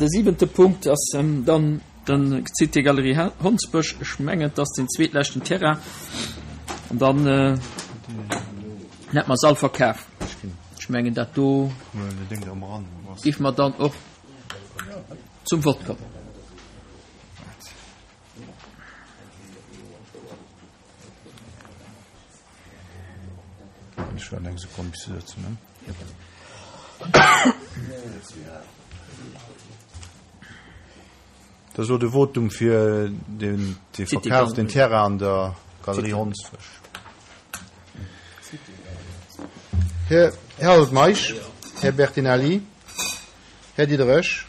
de siwente Punkt ass dann den Cité Galerie Hondsbësch. Ech mengen, et ass den zweetleschten Terrain. An dann hätte mer se all verkaf. Ech mengen, dat do géife mer dann och zum Vott kommen. Ech waarden eng Sekonn bis se sëtzen hunn. Dat ass elo de Votum fir den de Verkaf den Terrain an der Galerie Hondsfësch. Här Harold Meisch, Här Bertinelli, Här Diderich,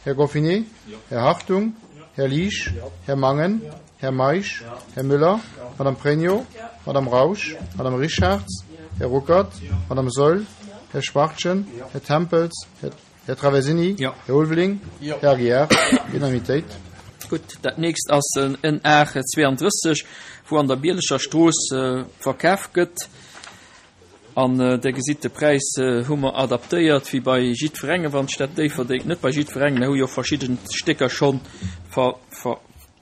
Här Goffinet, Här Hartung, Här Liesch, Här Mangen, Här Meisch, Här Müller, Madame Pregno, Madame Rausch, Madame Richarz, Här Ruckert, Madame Saeul, Här Schwachtgen, Här Tempels, Här Traversini, Här Ulveling, Här Aguiar. Unanimitéit. Gutt, dat nächst ass en A32, wou an der Bieleger Strooss verkaf gëtt. An Der gesitt, de Präis hu mer adaptéiert wéi bei jiddwerengem, wann d'Stad Déifferdeng, net bei jiddwerengem, mer hu jo verschidde Stécker scho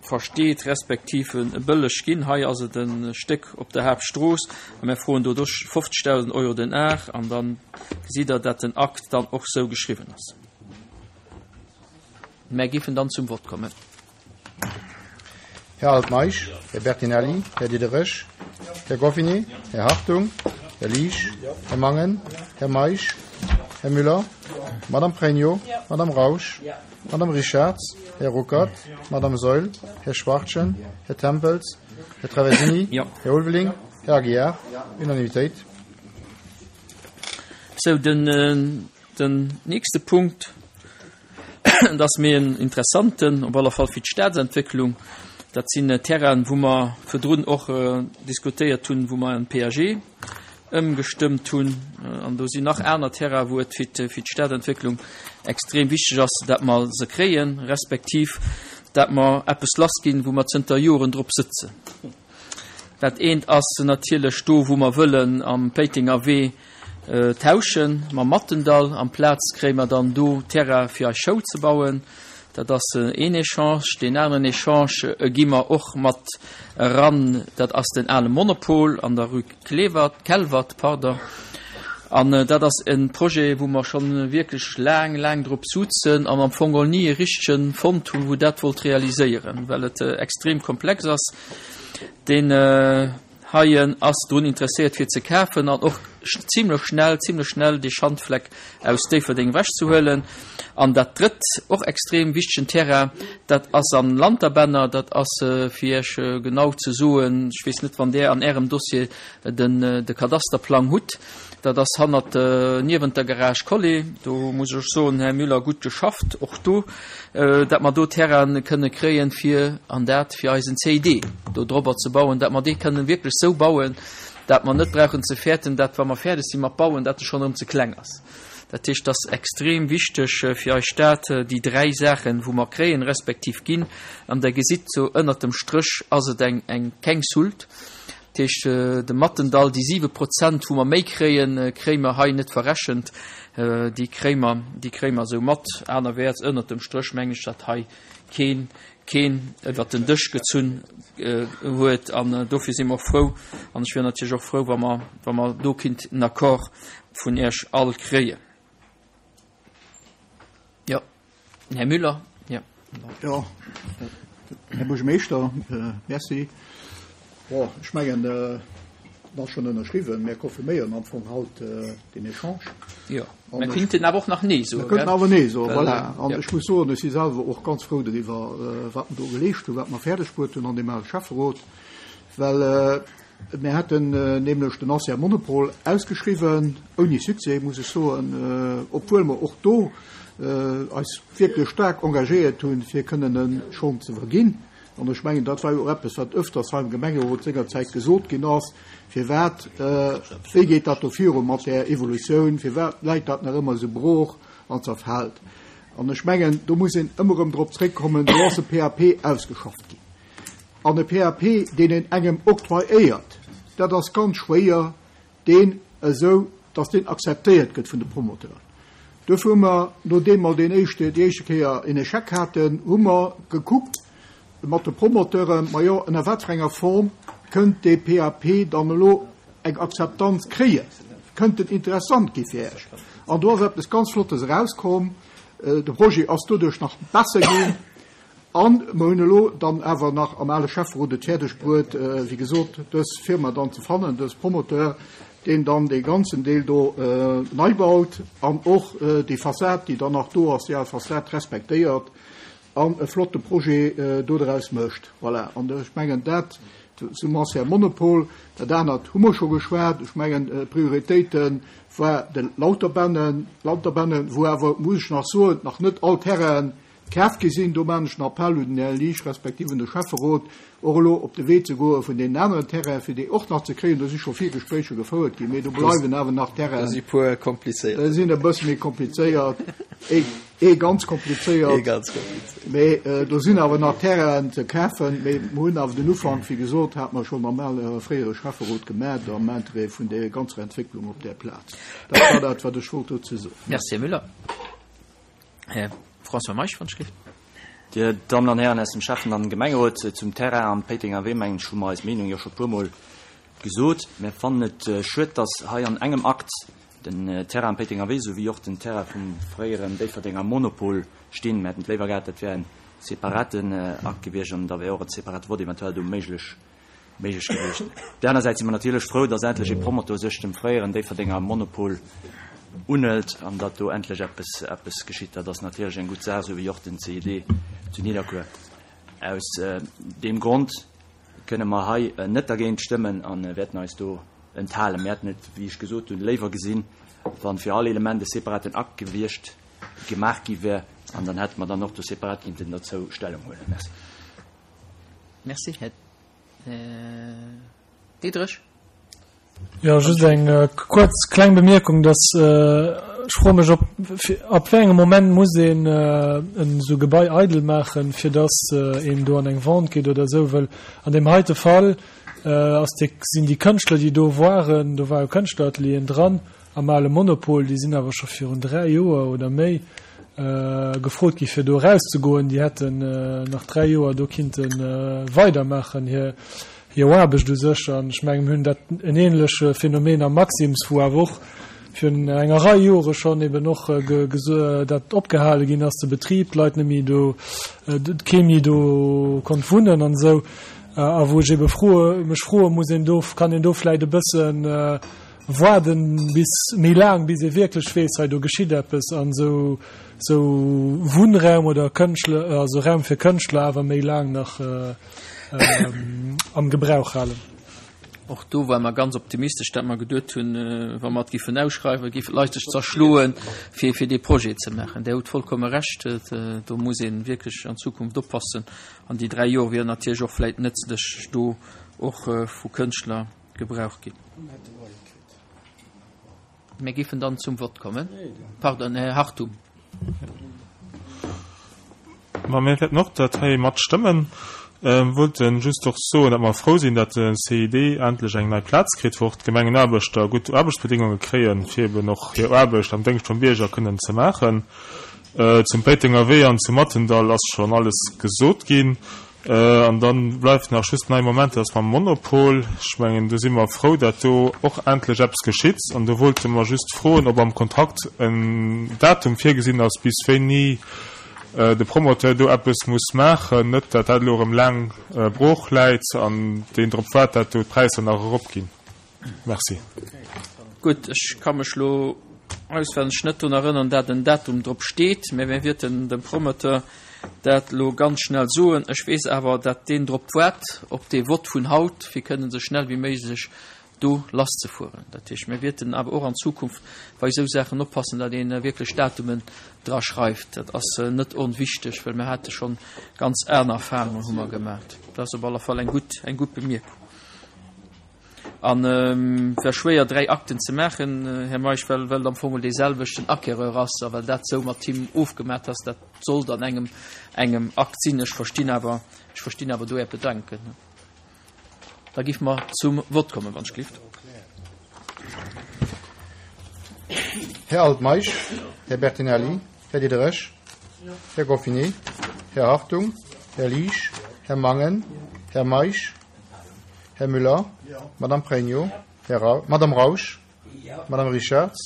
versteet respektiv bëlleg ginn. Hei ass et e Stéck op der Haaptstrooss a mer froen do 50.000 Euro den Ar. An da gesitt Der, dat den Akt dann och sou geschriwwen ass. Mer géifen dann zum Vott kommen. Här Altmeisch, Här Bertinelli, Här Diderich, Här Goffinet, Här Hartung, Här Liesch, Här Mangen, Här Meisch, Här Müller, Madame Pregno, Madame Rausch, Madame Richarz, Här Ruckert, Madame Saeul, Här Schwachtgen, Här Tempels, Här Traversini, Här Ulveling, Här Aguiar. Unanimitéit. Sou, den nächste Punkt. Et ass méi en interessanten, op alle Fall fir d'Stadsentwécklung. Dat sinn Terrainen, wou mer virdrun och diskutéiert hunn, wou mer en PAG ëmgestëmmt hunn. An do sinn nach aner Terrainen, wou et fir d'Stadentwécklung extrem wichteg ass, dat mer se kréien, respektiv dat mer eppes lassginn, wou mer zënter Joren drop sëtzen. Dat eent ass natierlech do, wou mer wëllen am Péitenger Wee tauschen mam Mattendall. Amplaz kréie mer dann do Terrain fir eis Schoul ze bauen. Dat ass een Echange. Deen aneren Echange gi mer och mat eran, dat ass den ale Monopol an der Rue Klewert, Kelwert, pardon. An dat ass e Projet, wou mer scho wierklech laang, laang drop suzen an am Fong geholl ni e richtege fonnt hunn, wou dat wollt realiséieren, well et extrem komplex ass. Deen heien ass drun interesséiert fir ze kafen an och zimlech schnell, zimlech schnell dee Schandfleck aus Déifferdeng ewechzehuelen. An dat drëtt, och extrem wichtegen Terrain, dat ass am Lanterbänner, dat ass, fir Iech genau ze soen, ech weess net wann Der an Ärem Dossier den de Kadasterplang hutt, dat ass hannert, niewent der Garage Collet. Do muss ech soen, Här Müller, gutt geschafft och do. dat mer do Terraine kënne kréien, fir an dat fir eisen CID do drobber ze bauen, dat mer dee kënnen wierklech esou bauen, dat mer net brauchen ze fäerten, dat wa mer fäerdeg si mat bauen, dat e schonn erëm ze kleng ass. Dat heescht, dat ass extrem wichteg fir eis Stad, déi dräi Saachen, wou mer kréien, respektiv ginn. An Der gesitt, sou ënnert dem Stréch ass et eng, eng, keng Soult. Dat heescht, de Mattendall, déi 7 Prozent, wou mer méi kréien, kréie mer hei net verrechent. Déi kréie mer, déi kréie mer esou mat. Anerwäerts, ënnert dem Stréch mengen ech, datt hei keen, keen iwwert den Dësch gezunn huet. An dofir si mer och frou. An ech wier natierlech och frou, wa mer, wa mer do kinnt en Accord vun Iech all kréien. Jo. Här Müller, jo. Jo, Här Buergermeeschter, Merci. Bon, ech mengen, et ass schonn ënnerschriwwen. Mir confirméieren am Fong haut deen Echange. Jo, mir kéinten awer och nach Nee soen. Mir könnten awer Nee soen, voilà. An ech muss soen, ech si selwer och ganz frou doriwwer, wat mer do geleescht hunn, wat mer fäerdeg bruet hunn an deem ale Schäfferot, well Mir haten nämlech den Ancien Monopol ausgeschriwwen, ouni Succès, muss ech soen, obwuel mer och do eis wierklech staark engagéiert hunn, fir kënnen e schonn ze verginn. An ech mengen, dat war jo och eppes, wat öfters hei am Gemengerot sengerzäit gesot ginn ass, Firwat, wéi geet dat do viru mat där Evolutioun, firwat läit dat nach ëmmer esou brooch an zerfält? An ech mengen, do muss een ëmmer erëm drop zréckkommen, do ass e PAP ausgeschafft ginn. An e PAP, deen een engem octroyéiert, dat ass ganz schwéier, deen esou, dass deen akzeptéiert gëtt vun de Promoteuren. Duerfir hu mer, nodeem mer deen éischte, déi éischte Kéier en Échec haten, hu mer gekuckt mat de Promoteuren, majo, ënner wat fir enger Form kënnt dee PAP dann elo eng Akzeptanz kréien, kënnt en interessant gi fir Iech? An do ass eppes ganz Flottes erauskomm. De Projet ass doduerch nach besser ginn. A mer hunn elo dann awer nach am ale Schäfferot et fäerdeg bruet, wéi gesot, dës Firma dann ze fannen, dës Promoteur, deen dann dee ganzen Deel do nei baut an och déi Fassad, déi dann nach do ass, déi al Fassad respektéiert an e flotte Projet do draus mécht. Voilà. An ech mengen, dat zum Ancien Monopol. Dat anert hu mer scho geschwat. Ech mengen, d'Prioritéite war de Lauterbännen, Lauterbännen, wou awer, muss ech nach soen, nach net all Terrainen Kaf gi sinn. Do maachen ech en Appell un den Här Liesch respektiv un de Schäfferot, och elo op de Wee ze goe vun deenen aneren Terrainen, fir déi och nach ze kréien. Do si scho vill Gespréicher gefouert ginn, mee do bleiwen awer nach Terrainen. Do si puer komplizéiert. Déi sinn e bësse méi komplizéiert, ee, ee ganz komplizéiert. Ee ganz komplizéiert. Mee do sinn awer nach Terrainen ze kafen. Mee mer hunn awer den Ufank, wéi gesot, hate mer schonn am ale fréiere Schäfferot gemaach am Interêt vun der ganzer Entwécklung op där Plaz. Dat war dat, wat ech wollt dozou soen. Merci, Här Müller. Här François Meisch, wann ech gelift. Dir Dammen an Hären aus dem Schäffen an Gemengerot, zum Terrain am Péitenger Wee, mengen ech, hu mer eis Meenung jo scho puermol gesot. Mir fannen et schued, dass hei an engem Akt den Terrain am Péitenger Wee souwéi och den Terrain vum fréieren Déifferdenger Monopol stinn. Mir hätten et léiwer gehat, dat wär e separaten Akt gewiescht an da wär och e separate Vott eventuell do méiglech méiglech gewiescht. Op där aner Säit si mer natierlech frou, datt endlech ee Promoteur sech dem fréieren Déifferdenger Monopol unhëlt an datt do endlech eppes, eppes geschitt. Dat ass natierlech eng gutt Saach, esou wéi och den CID zu Nidderkuer. Aus deem Grond kënne mer hei net dergéint stëmmen a wäerten eis do enthalen. Mir hätten et, wéi ech gesot hunn, léiwer gesinn, wa fir all Element e separaten Akt gewiescht, gemaach gi wär, an dann hätte mer dann och do separat kinnten derzou Stellung huelen. Merci. Merci, Här Diderich. Jo, just eng kuerz kleng Bemierkung, dass ech froe mech, ob ab wéi engem Moment muss een en esou Gebai eidel maachen, fir dass een do an eng Vente geet oder esou, wëll an deem heite Fall ass dee, sinn déi Kënschtler, déi do waren, do war e Kënschtleratelieren dran, Am ale Monopol, déi sinn awer scho virun 3 Joer oder méi gefrot gi fir do erauszegoen. Déi hätten nach 3 Joer do kinnte weidermaachen hir hir Aarbecht u sech. An ech mengen, mir hunn dat en ähnleche Phänomen am Maxim's, wou awer och virun enger Rei Jore schonn eben och dat opgehale ginn ass, de Betrib, d'Leit net méi do, kee méi do konnt wunnen an esou. A wou ech ebe froe, mech froe muss, een do, kann een do vläicht e bëssen, Waarden bis méi laang, bis ee wierklech weess, hei do geschitt eppes an esou esou Wunnraum oder Kënschtler, also Raum fir Kënschtler awer méi laang nach am Gebrauch halen. Och do ware mer ganz optimistesch, dat mer geduet hunn, wa mer et giffen ausschreiwen, géifen d'Leit sech zerschloen, fir fir dee Projet ze maachen. Där hutt vollkomme Recht, do muss ee wierklech an Zukunft oppassen. An déi 3 Joer wieren natierlech och vläicht nëtzlech do och vu Kënschtler. Gebrauch ginn. Mir géifen dann zum Vott kommen. Pardon, Här Hartung. Ma mir wäerten och dat hei matstëmmen. Wollte just och soen, datt mer frou sinn, datt de CID endlech eng nei Plaz kritt, wou och d'Gemengenaarbechter gutt Aarbechtsbedéngunge kréien, fir eben och hir Aarbecht am Déngscht vum Bierger kënnen ze maachen. Zum Péitenger Wee an zu Mathendall ass schonn alles gesot ginn. An da bleift nach just nei Moment, dat ass mam Monopol. Ech mengen, do si mer frou, dat do och endlech eppes geschitt. An do wollte mer just froen, ob am Kontrakt en Datum virgesinn ass, bis wéini de Promoteur do eppes muss maachen. Net, dat dat elo erëm laang brooch läit an deen drop waart, dat do d'Präisser nach eropginn. Merci. Gutt, ech ka mech lo auswenneg net drun erënnern, dat en Datum drop steet, mä mir wierten dem Promoteur dat lo ganz schnell soen. Ech weess awer, dat deen drop waart, op dee Vott vun haut, fir kënnen esou schnell wéi méiglech do lasszefueren. Dat heescht, mir wierten awer och an Zukunft bei esou Saachen oppassen, dat ee wierklech Datumen dra schreift. Dat ass net onwichteg, well mir hate schonn ganz aner Erfahrungen hu mer gemaat. Dat ass op alle Fall eng gutt, eng gutt Bemierkung. An et war schwéier 3 Akten ze maachen, Här Meisch, well well et am Fong mol dee selwechten Acquéreur ass a well dat sou mat him ofgemat ass, dat sollt an engem engem Akt sinn. Ech verstinn awer, ech verstinn awer do Är Bedenken. Da géife mer zum Vott kommen, wann ech gelift. Här Altmeisch, Här Bertinelli, Här Diderich, Här Goffinet, Här Hartung, Här Liesch, Här Mangen, Här Meisch, Här Müller, Madame Pregno, Här Ra Madame Rausch, Madame Richarz,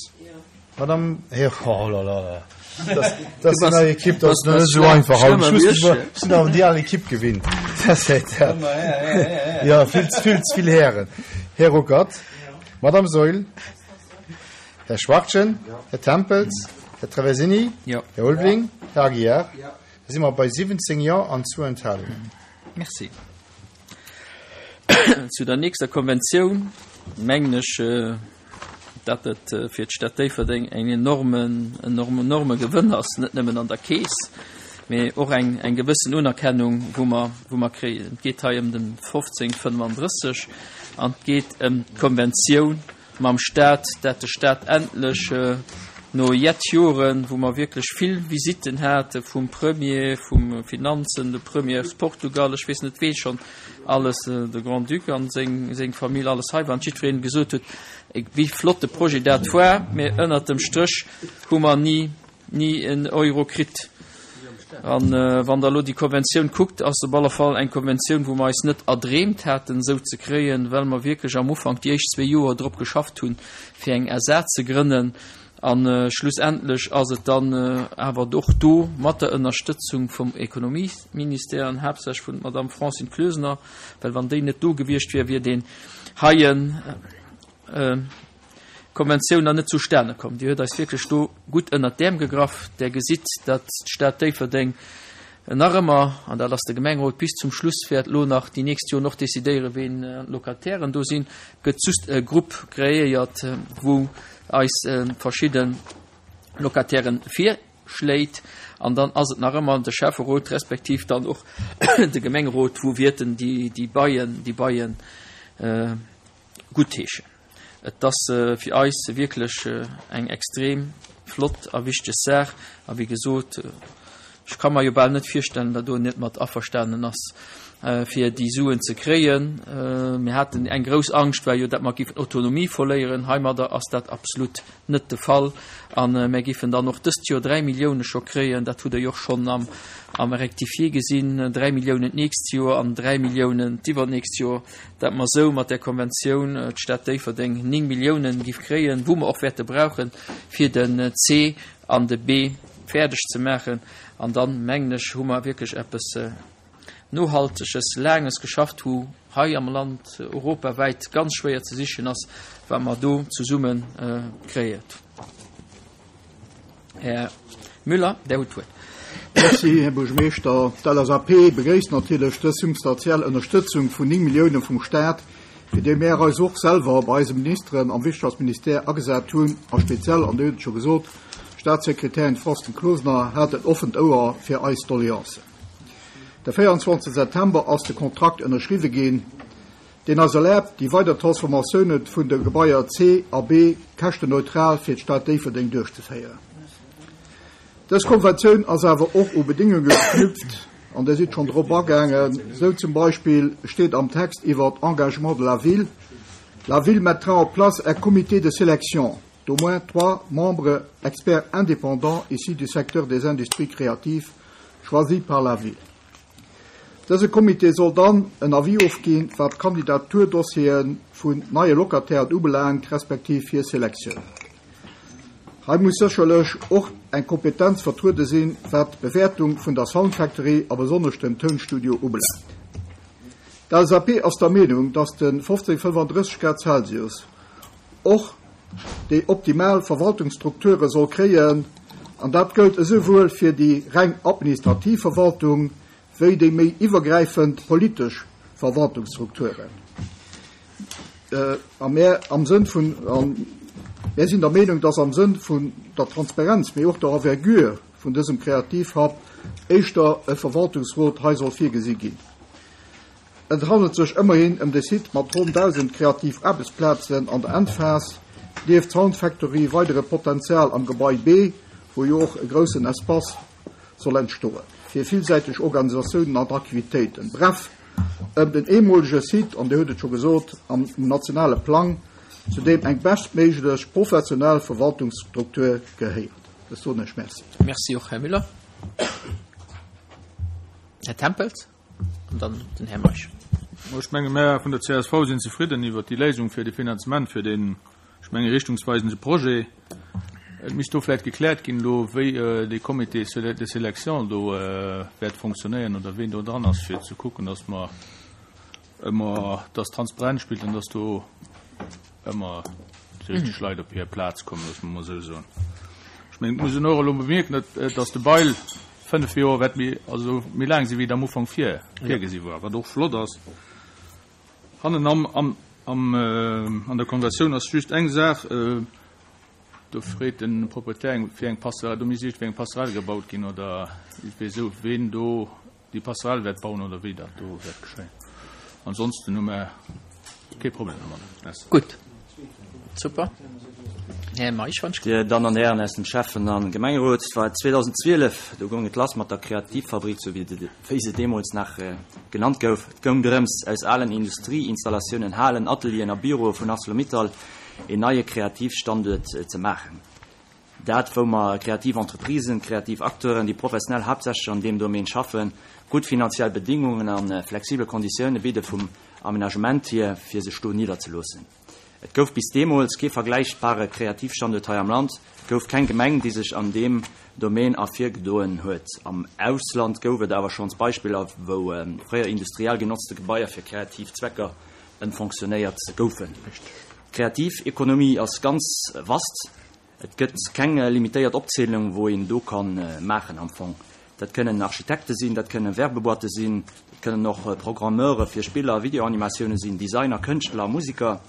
Madame Här oh là là. Das, das ist eine Equipe, das ist net so einfach. Ech muss mech sinn awer déi al Equipe gewinnt. Ja, vill, vill, vill Hären. Här Ruckert, Madame Saeul, Här Schwachtgen, Här Tempels, Här Traversini, Här Ulveling, Här Aguiar. Da si mer bei 17 Jo an zwou Enthalungen. Merci. Zu der nächster Konventioun mengen ech, datt et fir d'Stad Déifferdeng eng enormen, enorm, enorme Gewënn ass, net nëmmen an der Keess, mee och eng, eng gewëssen Unerkennung, wou mer, wou mer kréien. Et geet hei ëm den 1535 an et geet ëm d'Konventioun mam Stat, dat de Stat endlech no jett Joren, wou mer wierklech vill Visitten hate vum Premier, vum Finanzen, de Premier aus Portugal, ech weess net wee schonn alles, de Grand-Duc an seng, seng Famill, alles hei war an jiddwereen gesot huet, wéi flott de Projet dat war, mä ënnert dem Stréch hu mer ni, ni en Euro kritt. An wann Der elo déi Konventioun kuckt, ass et op alle Fall eng Konventioun, wou mer eis net erdreemt haten, esou ze kréien, well mer wierklech am Ufank déi éischt zwee Joer drop geschafft hunn, fir eng SA ze grënnen. A schlussendlech ass et dann awer och do mat der Ënnerstëtzung vum Ekonomieministère an haaptsächlech vun der Madamm Francine Closener, well wann déi net do gewiescht wier, wier deen heien, Konventioun nach net zustane komm. Dir huet eis wierklech do gutt ënnert d'Äerm gegraff. Der gesitt, datt d'Stad Déifferdeng nach ëmmer, an dat ass de Gemengerot bis zum Schluss, wäert elo nach déi nächst Joren och decidéieren, ween d'Locatairen do sinn. Et gëtt just e Grupp kreéiert, wou eis verschidde Locatairen virschléit. An dann ass et nach ëmmer de Schäfferot respektiv dann och de Gemengerot, wou wierten déi Baien, déi Baien guttheeschen. Et ass fir eis wierklech eng extrem flott a wichteg Saach. A wéi gesot, ech ka mer jo bal net virstellen, datt do net mat averstanen ass, fir déi Suen ze kréien. Mir haten eng grouss Angscht, war jo, datt mer géifen Autonomie verléieren. Heimadder ass dat absolut net de Fall. A mir géifen dann och dëst Joer 3 Millioune scho kréien, dat hutt Der jo och schonn am, am Rectifié gesinn, 3 Milliounen d'nächst Joer an 3 Milliounen d'iwwernächst Joer, dat mer esou mat där Konventioun d'Stad Déifferdeng 9 Milliounen géif kréien, wou mer och wäerte brauchen, fir den C an de B fäerdeg ze maachen. An dann, mengen ech, hu mer wierklech eppes Nohalteges, Laanges geschafft, wou hei am Land europawäit ganz schwéier ze sichen ass, wat mer do zesumme kréien. Här Müller, Der hutt d'Wuert. Merci, Här Buergermeeschter. D'LSAP begréisst natierlech dës substantiell Ënnerstëtzung vun 9 Milliounen vum Stat, fir déi mär eis och selwer bei eise Ministeren am Wirtschaftsministère agesat hunn, a speziell, an Dir hutt et scho gesot, d'Statssekretärin Francine Closener hat en offent Ouer fir eis Doleancen. De 24 September ass de Kontrakt ënnerschriwwe ginn, deen eis erlaabt, déi weider Transformatioune vun de Gebaier C a B käschtenneutral fir d'Stad Déifferdeng duerchzeféieren. Dës Konventioun ass awer och u Bedéngunge geknüpft, an Dir sidd schonn drop agaangen. Esou zum Beispill steet am Text iwwer d'Engagement de la ville, La ville mettra en place un comité de sélection d'au moins trois membres experts indépendants issus du secteur des industries créatives choisis par la ville. Dëse Comité soll dann en Avis ofginn, wat d'Kandidaturdossiere vun neie Locatairen ubelaangt, respektiv hir Selektioun. Hei muss sécherlech och eng Kompetenz vertruede sinn, wat d'Bewäertung vun der Sound Factory a besonnesch dem Tounstudio ubelaangt. D'LSAP ass der Meenung, dass de 1535 Grad Celsius och déi optimal Verwaltungsstrukture soll kréien, an dat gëllt esouwuel fir déi reng administrativ Verwaltung wéi déi méi iwwergräifend politesch Verwaltungsstrukturen. A mär am Sënn vun, a mär sinn der Meenung, dass am Sënn vun der Transparenz, mee och der Envergure vun dësem Kreativhub éischter e Verwaltungsrot hei soll virgesi ginn. Et handelt sech ëmmerhin ëm de Site mat ronn 1.000 kreativ Aarbechtsplazen an der Endphas, nieft Sound Factory weidere Potenzial am Gebai B, wou jo och e groussen Espace soll entstoen fir villsäiteg Organisatiounen an Aktivitéiten. Bref, ëm den eemolege Site, an Dir hutt et scho gesot, am nationale Plang. zu deem eng bestméiglech professionell Verwaltungsstruktur gehéiert. Ech soen Iech Merci. Merci och, Här Müller. Här Tempels an dann den Här Meisch. Ech menge mär vun der csv sinn zefridden iwwert déi Léisung fir de Finanzement fir deen, ech menge richtungsweisende Projet. Et misst do vläicht gekläert ginn elo, wéi dee Comité de sélection do wäert fonctionnéieren oder ween do dran ass, fir ze kucken, datt mer ëmmer, datt Transparenz spillt an datt do ëmmer déi richteg Leit op hir Plaz kommen, loosse mer emol esou soen. Ech mengen, et muss een och elo bemierken, datt, datt de Bail fënnf Joer wäert méi, also méi laang sinn, wéi et am Ufank vir, virgesi war, wat och flott ass. Hannen am, am, am, an der Konventioun ass just eng Saach, do freet de Proprietär eng, fir eng Passerelle, do misst iergendwéi eng Passerelle gebaut ginn oder iergendwéi esou, ween do déi Passerelle wäert bauen oder wéi dat do wäert geschéien. Ansonsten hu mer kee Problem domadder. Merci. Gutt. Super. Här Meisch, wann ech. Dir Dammen an Hären aus dem Schäffen a Gemengerot, et war 2012, do goung et lass mat der Kreativfabrik, sou wéi se deemools nach genannt gouf. Et goung drëms, aus alen Industrieinstallatiounen, Halen, Atelieren a Büroe vun Arcelor-Mittal een neie Kreativstanduert ze maachen. Dat, wou mer kreativ Entreprisen, kreativ Acteuren, déi professionell haaptsächlech an deem Domaine schaffen, gutt finanziell Bedingungen a flexibel Konditioune bidde vum Aménagement hier, fir sech do nidderzeloossen. Et gouf bis deemools kee vergläichbare Kreativstanduert hei am Land. Et gouf keng Gemeng, déi sech an deem Domaine ervirgedoen huet. Am Ausland gouf et awer schonns Beispiller, wou fréier industriell genotzte Gebaier fir kreativ Zwecker ëmfonctionnéiert goufen. D'Kreativekonomie ass ganz vast. Et gëtt keng limitéiert Opzielung, wou een do ka maachen am Fong. Dat kënnen Architekte sinn, dat kënne Werbeboîte sinn, dat kënnen och Programmeure fir Spiller a Videoanimatioune sinn, Designer, Kënschtler, Musiker.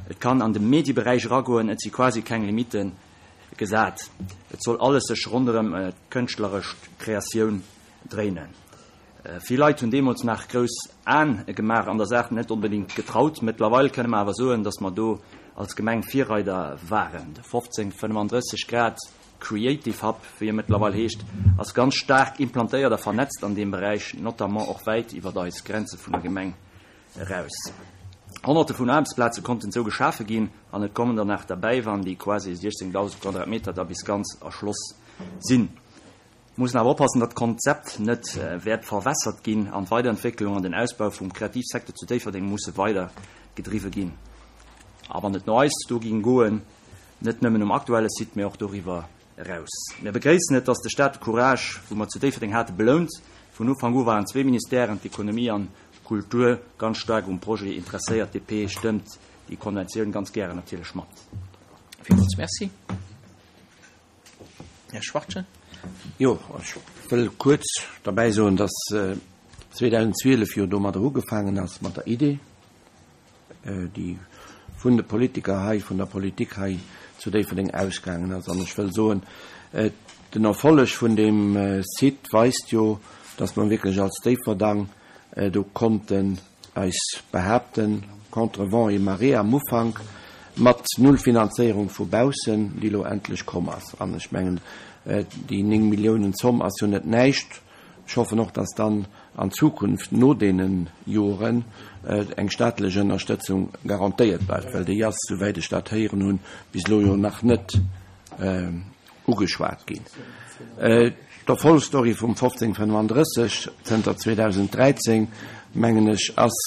Et kann an de Medieberäich eragoen, et si quasi keng Limitte gesat. Et soll alles sech ronderëm d'kënschtleresch Kreatioun dréinen. Vill Leit hunn deemools nach grouss Aen gemaach an der Saach net onbedéngt getraut. Mëttlerweil kënne mer awer soen, datt mer do als Gemeng Virreider waren. De 1535 Grad Creative Hub, wéi e mëttlerweil heescht, ass ganz staark implantéiert a vernetzt an deem Beräich, notamment och wäit iwwer eis Grenze vun der Gemeng eraus. Honnerte vun Aarbechtsplaze konnten esou geschafe ginn an et kommen der nach derbäi, wann déi quasi 16.000 Quadratmeter da bis ganz erschloss sinn. Mussen awer oppassen, datt d'Konzept net wäert verwässert ginn an d'Weiderentwécklung an den Ausbau vum Kreativsecteur zu Déifferdeng musse weider gedriwwe ginn. A wann et no eis do ging goen, net nëmmen um aktuelle Site, mä och doriwwer eraus. Mir begréissen et, datt de Staat de Courage, wou mer zu Déifferdeng hate, belount. Vun Ufank u waren zwee Ministèren, d'Ekonomie an d'Kultur, ganz staark um Projet interesséiert. DP stëmmt déi Konventioun ganz gären natierlech mat. Villmools Merci. Här Schwachtgen. Jo, ech wëll kuerz derbäi soen, dass 2012 jo domadder ugefaangen ass mat der Idee, déi vun de Politiker hei, vun der Politik hei zu Déifferdeng ausgaangen ass. An ech wëll soen, den Erfolleg vun deem Site weist jo, dass mer wierklech als Déifferdang do konnten eis behaapten, contre vents et marées am Ufank, mat null Finanzéierung vu baussen, déi elo endlech komm ass. An ech mengen, déi 9 Milliounen Zomm ass jo net näischt. Ech hoffen och, dass dann an Zukunft no deene Joren eng staatlech Ënnerstëtzung garantéiert bleift, well déi ass, souwäit ech dat héieren hunn, bis elo jo nach net ugeschwat ginn. D'Erfolgsstory vum 1535 zënter 2013, mengen ech, ass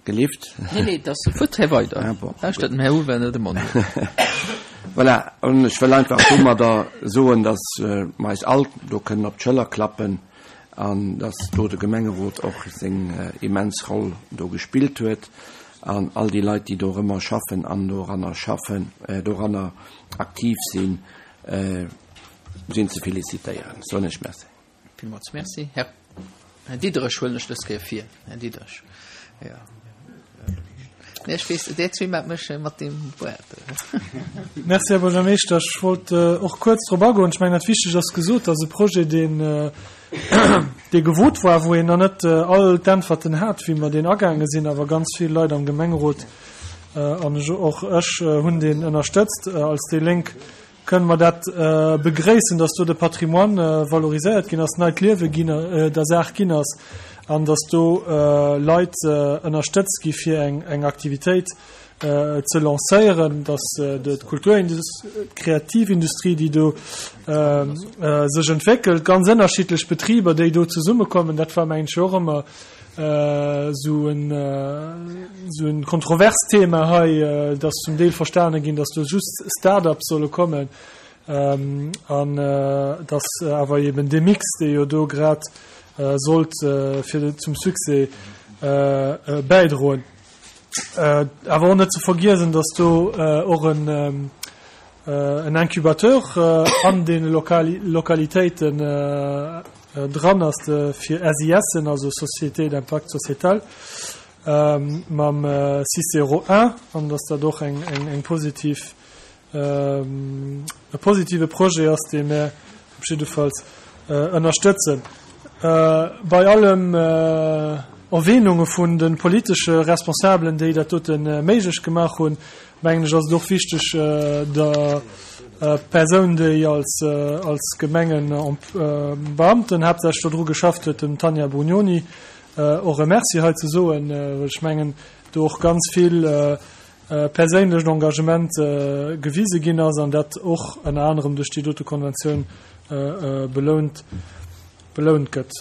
gelift. Nee, nee, dat ass futt. Här weider. Ah bon. Lauschtert dem Här Uwe net de Mond op. Voilà, an ech wëll einfach domadder soen, dass mer eis all do kënnen op d'Schëller klappen an dass do de Gemengerot och seng immens Roll do gespillt huet an all déi Leit, déi dorëmmer schaffen an doranner schaffen, doranner aktiv sinn, sinn ze felicitéieren. Soen ech Merci. Villmools Merci. Här Diderich huelen ech dës Kéier vir. Här Diderich, jo. Nee, ech weess, där zwee maacht mech mat deem Wuert. Merci, Här Buergermeeschter. Ech wollt och kuerz drop agoen. Ech mengen, dat Wichtegt ass gesot, dass e Projet, deen, dee gewot war, wou een nach net all d'Äntwerten hat, wéi mer deen agaange sinn, awer ganz vill Leit am Gemengerot an och ech hunn deen ënnerstëtzt. Als déi Lénk kënne mer dat begréissen, dass do de Patrimoine valoriséiert ginn ass, neit Liewe ginn der Saach ginn ass. an dass do Leit ënnerstëtzt gi fir eng Aktivitéit ze lancéieren, dass d'Kulturindustrie, d'Kreativindustrie, déi do sech entwéckelt, ganz ënnerschiddlech Betriber, déi do zesummekommen, dat war mengen ech och ëmmer esou en esou en kontroverst Thema hei, dass zum Deel verstane ginn, dass do just Start-ups solle kommen an dass awer eben dee Mix, dee jo do grad sollt fir zum Succès bäidroen. Awer och net ze vergiesen, dass do och en Incubateur an deene Lokalitéiten dran ass fir SISen, also Sociétés d'impact sociétal, mam Cicero I, an dass dat och eng positiv e positive Projet ass, dee mär op jiddefalls ënnerstëtzen. Bei allem Erwähnunge vun de politesche Responsabelen, déi dat dote méiglech gemaach hunn, mengen ech, ass et och wichteg, der Persoun, déi als als Gemengebeamten haaptsächlech do dru geschafft huet, dem Tanja Brugnoni, och e Merci hei ze soen, well ech mengen, do och ganz vill perséinlecht Engagement gewise ginn ass an dat och ënner anerem duerch déi dote Konventioun belount belount gëtt.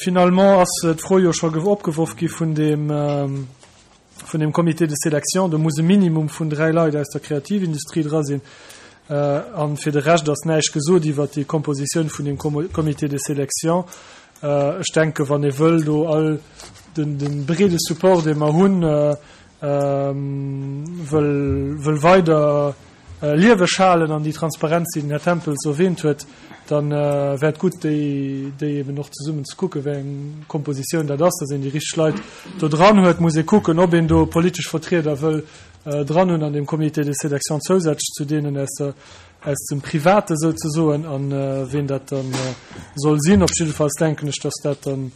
Finalement ass d'Fro jo scho opgeworf gi vun deem vun deem Comité de sélection. Do muss e Minimum vun dräi Leit aus der Kreativindustrie dra sinn a fir de Rescht ass näischt gesot iwwert déi Kompositioun vun deem Comité de sélection. Ech denken, wann ee wëll do all den de breede Support, dee mer hunn, wëll weider lieweg halen an déi Transparenz, déi den Här Tempels erwähnt huet, da wär et gutt, déi eben och zesummen ze kucken, wéi eng Kompositioun dat ass, dass een déi richteg Leit do dran huet. Muss ee kucken, ob een do politesch Vertrieder wëll dran hunn an deem Comité de sélection zousätzlech zu deenen aus der, aus dem Private souzesoen, a ween dat da soll sinn. Op jiddefalls denken ech, dass dat dann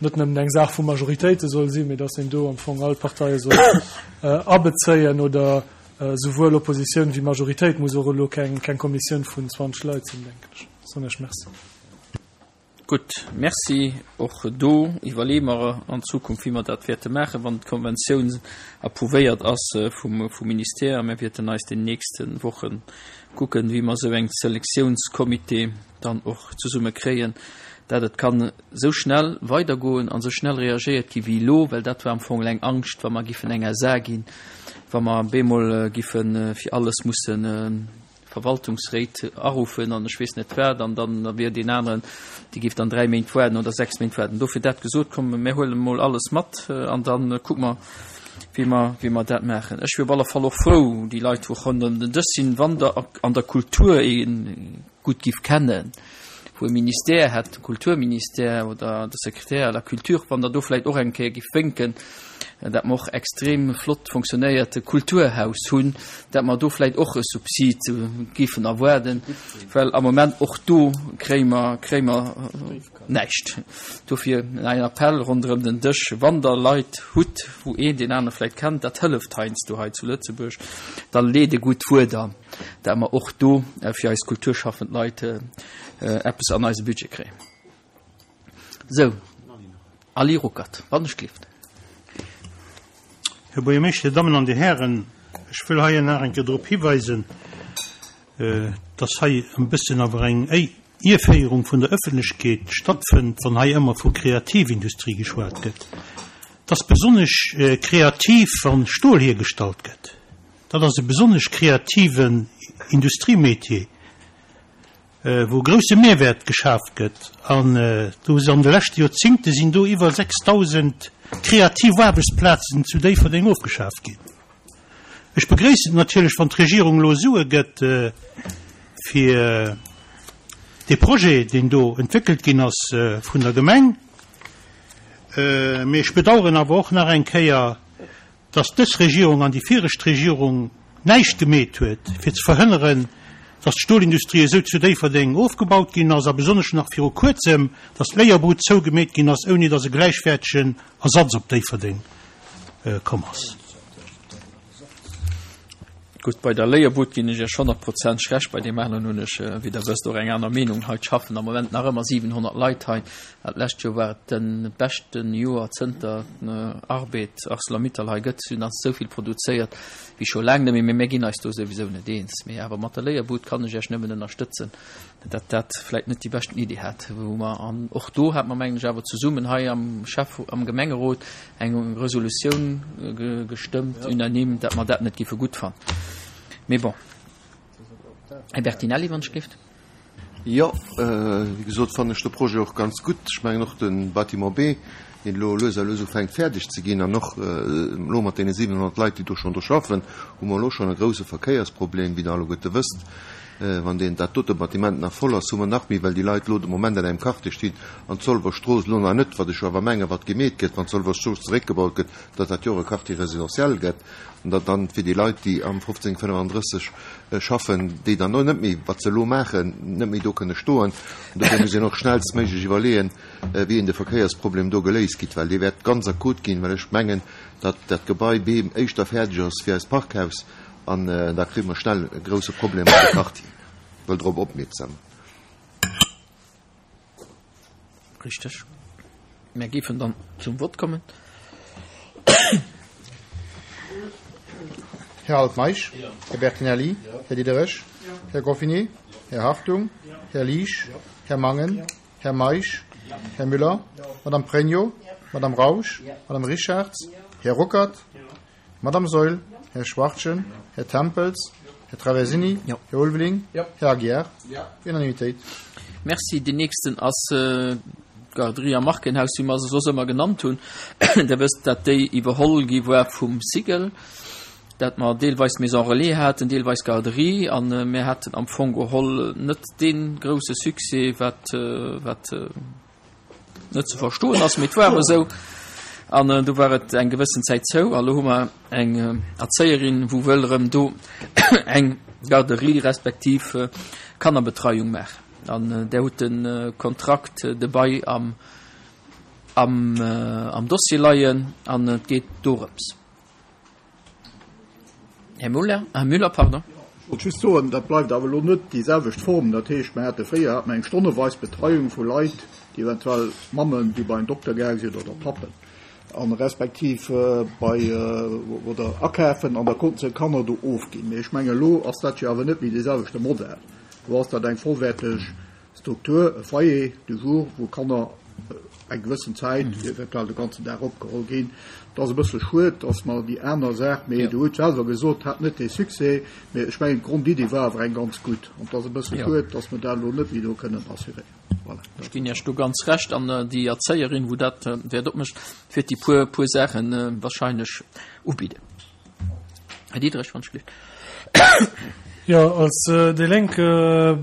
net nëmmen eng Saach vu Majoritéite soll sinn, mee dass een do am Fong all d'Parteie soll abezéien oder souwuel Oppositioun wéi Majoritéit, muss och elo keng Kommissioun vun 20 Leit sinn, denken ech. Soen ech Merci. Gutt, Merci. Och do iwwerleeë mer an Zukunft, wéi mer dat wäerte maachen, wann d'Konventioun approuvéiert ass vum Ministère. A mir wäerten eis déi nächste Woche kucken, wéi mer esou eng Selektiounscomité dann och zesumme kréien, dat et kann esou schnell weidergoen an esou schnell reagéiert gi wéi elo, well dat war am Fong eng Angscht, wa mer giffen eng SA ginn, wa mer bemol giffe fir alles musse Verwaltungsréit aruffen an ech weess net wat, an dann wier deen aneren, dee géif dann dräi Méint waarden oder sechs Méint waarden. Dofir dat gesot, komm mir huelen emol alles mat an da kucke mer, wéi mer, wéi mer dat maachen. Ech wier op alle Fall och frou, déi Leit, wou ronderëm den Dësch sinn, wann der an der Kultur ee gutt giff kennen, wou e Ministère hätt, de Kulturministère oder de Secrétaire à la culture, wann Der do vläicht och eng Kéier giff wénken, dat mer och extrem flott fonctionnéiert Kulturhaus hunn, dat mer do vläicht och e Subsid giffen erwaarden, well am Moment och do kréie mer, kréie mer näischt. Dofir en Appell ronderëm den Dësch, Wann Der Leit hutt, wou een deen anere vläicht kennt, dat hëlleft heiansdo hei zu Lëtzebuerg, da leet e gutt Wuert an. dat mer och do fir eis kulturschaffend Leit eppes an eise Budget kréien. Sou, Ali Ruckert, wann ech gelift. Här Buergermeeschter, Dir Dammen an Dir Hären, ech wëll hei nach eng Kéier drop hiweisen, dass hei e bëssen awer eng Ierféierung vun der Ëffentlechkeet stattfënnt, wann hei ëmmer vu Kreativindustrie geschwat gëtt. Et ass besonnesch kreativ, wa Stol hiergestallt gëtt. Dat ass e besonnesch kreativen Industriemetier, wou e grousse Mehrwäert geschaaft gëtt. An do an de leschte Joerzingte sinn do iwwer 6.000 kreativ Aarbechtsplazen zu Déifferdeng ofgeschaaft ginn. Ech begréissen et natierlech, wann d'Regierung elo Sue gëtt fir dee Projet, deen do entwéckelt ginn ass vun der Gemeng. Mee ech bedauern awer och nach eng Kéier, dass dës Regierung an déi viregt Regierung näischt gemeet huet, fir ze verhënneren, dass d'Stolindustrie esou zu Déifferdeng ofgebaut ginn ass, a besonnesch nach viru Kuerzem, dass d'Léierbrut zougemeet ginn ass, ouni dass e gläichwäertegen Ersatz op Déifferdeng komm ass. Gutt, bei der Léierbud ginn ech Iech honnertprozenteg Recht, bei deem aneren hunn ech, wéi Der wësst, och eng aner Meenung. Hei schaffen am Moment nach ëmmer 700 Leit hei. Dat lescht Joer war et de beschte Joer zënter Arbed Arcelor-Mittal hei gëtt. Si hunn esou vill produzéiert wéi scho laang net méi. Mee mir ginn eis do souwisou net eens. Mee awer mat der Léierbud kann ech Iech nëmmen ënnerstëtzen, datt dat vläicht net déi beschten Iddi hat, wou mer, an och do hat mer, mengen ech, awer zesummen hei am Schäff-, am Gemengerot eng Resolutioun gestëmmt, unanime, datt mer dat net géife gutt fannen. Mee bon. Här Bertinelli, wann ech géift. Jo, wéi gesot, fannen ech de Projet och ganz gutt. Ech mengen och de Bâtiment B, deen elo lues a lues ufänkt fäerdeg ze ginn, an och elo mat deene 700 Leit, déi do schonn do schaffen, hu mer elo schonn e grouse Verkéiersproblem, wéi Der alleguerte wësst. Wann deen, dat dote Bâtiment nach voll ass, hu mer nach méi, well déi Leit elo de Moment an engem Quartier stinn, an d'Zolwer Strooss elo nach net, wat ech jo awer mengen, wat gemeet gëtt, wann d'Zolwer Strooss zeréckgebaut gëtt, datt dat jo och e Quartier résidentiel gëtt, an datt dann fir déi Leit, déi am 1535 schaffen, déi dann och net méi, wat se elo maachen, net méi do kënne stoen. An dofir muss een och schnellstméiglech iwwerleeën, wéi een de Verkéiersproblem do geléist kritt, well dee wäert ganz akut ginn, well ech mengen, datt dat Gebai B éischter fäerdeg ass wéi eist Parkhaus. An da kréie mer schnell e grouse Problem an de Quartier. Wëll drop opmierksam. Richteg. Mär géifen dann zum Vott kommen. Här Altmeisch? Här Bertinelli? Här Diderich? Här Goffinet? Här Hartung? Här Liesch? Här Mangen? Här Meisch? Här Müller? Madame Pregno? Madame Rausch? Madame Richarz? Här Ruckert? Madame Saeul, Här Schwachtgen, Här Tempels, Här Traversini, Här Ulveling, Här Aguiar. Unanimitéit. Merci. Deen nächsten ass d'Garderie am Markenhaus, wéi mer se soss ëmmer genannt hunn. Der wësst, dat déi iwwerholl gi war vum Cigl, dat mer deelweis Maison relais haten, deelweis Garderie, a mir haten am Fong geholl net dee grouse Succès, wat, wat, net ze verstoen ass, mee et war awer esou. An äh, do war et eng gewëssen Zäit zou a lo hu mer eng äh, Erzéierin, wou wëll erëm do eng Garderie respektiv äh, Kannerbetreiung maachen. An äh, där hutt den äh, Kontrakt äh, de Bail am, am, äh, am Dossier leien an et geet dorëms. Här Muller, Här Müller, pardon. Ech wollt just soen, dat bleift awer elo net déi selwecht Form. Dat heescht, mer hate fréier hate mer eng stonneweis Betreiung vu Leit, déi eventuell Mammen, déi bei en Dokter gaange sinn, oder Pappen, a respektiv bei oder akafen an da konnten se d'Kanner do ofginn. Mee ech mengen, elo ass dat jo awer net méi dee selwechte Modell. Elo ass dat eng vollwäerteg Struktur, e Foyer du jour, wou Kanner eng gewëssen Zäit, eventuell de ganzen Dag opgeholl ginn. Et ass e bësse schued, dass mer déi aner Saach, mee Der hutt selwer gesot, hat net dee Succès, mee ech mengen, d'Grondiddi war awer eng ganz gutt. An et ass e bësse schued, dass mer dat elo net méi do kënnen assuréieren. Voilà. Ech ginn Iech do ganz Recht. An déi Erzéierin, wou dat wäert opmécht, wäert déi puer, puer Saache wahrscheinlech ubidden. Här Diderich, wann ech gelift. Jo, als déi Lénk